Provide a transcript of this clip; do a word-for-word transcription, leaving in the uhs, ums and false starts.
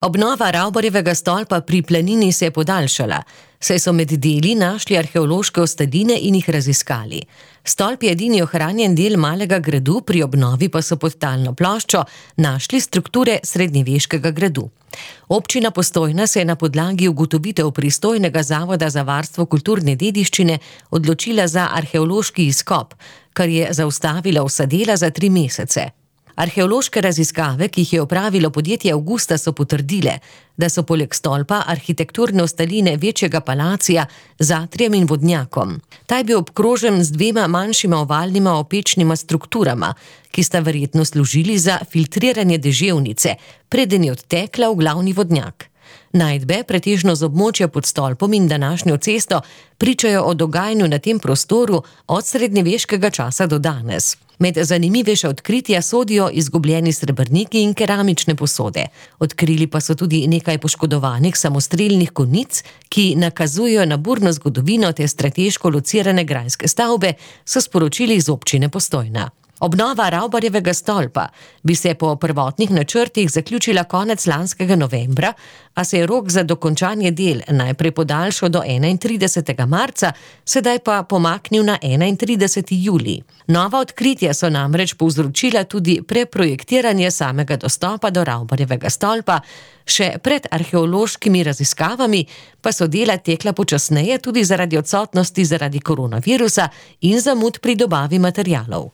Obnova Ravbarjevega stolpa pri Planini se je podaljšala, saj so med deli našli arheološke ostaline in jih raziskali. Stolp je edini ohranjen del malega gradu, pri obnovi pa so pod talno ploščo našli strukture srednjeveškega gradu. Občina Postojna se je na podlagi ugotovitev pristojnega Zavoda za varstvo kulturne dediščine odločila za arheološki izkop, kar je zaustavilo vsa dela za tri mesece. Arheološke raziskave, ki jih je opravilo podjetje Avgusta, so potrdile, da so poleg stolpa arhitekturne ostaline večjega palacija z atrijem in vodnjakom. Ta je bil obkrožen z dvema manjšima ovalnima opečnima strukturama, ki sta verjetno služili za filtriranje deževnice, preden je odtekla v glavni vodnjak. Najdbe, pretežno z območja pod stolpom in današnjo cesto, pričajo o dogajanju na tem prostoru od srednjeveškega časa do danes. Med zanimivejša odkritja sodijo izgubljeni srebrniki in keramične posode. Odkrili pa so tudi nekaj poškodovanih samostrelnih konic, ki nakazujejo na burno zgodovino te strateško locirane grajske stavbe, so sporočili iz občine Postojna. Obnova Ravbarjevega stolpa bi se po prvotnih načrtih zaključila konec lanskega novembra, a se je rok za dokončanje del najprej podaljšal do enaintridesetega marca, sedaj pa pomaknil na enaintrideseti julij. Nova odkritja so namreč povzročila tudi preprojektiranje samega dostopa do Ravbarjevega stolpa, še pred arheološkimi raziskavami pa so dela tekla počasneje tudi zaradi odsotnosti zaradi koronavirusa in zamud pri dobavi materialov.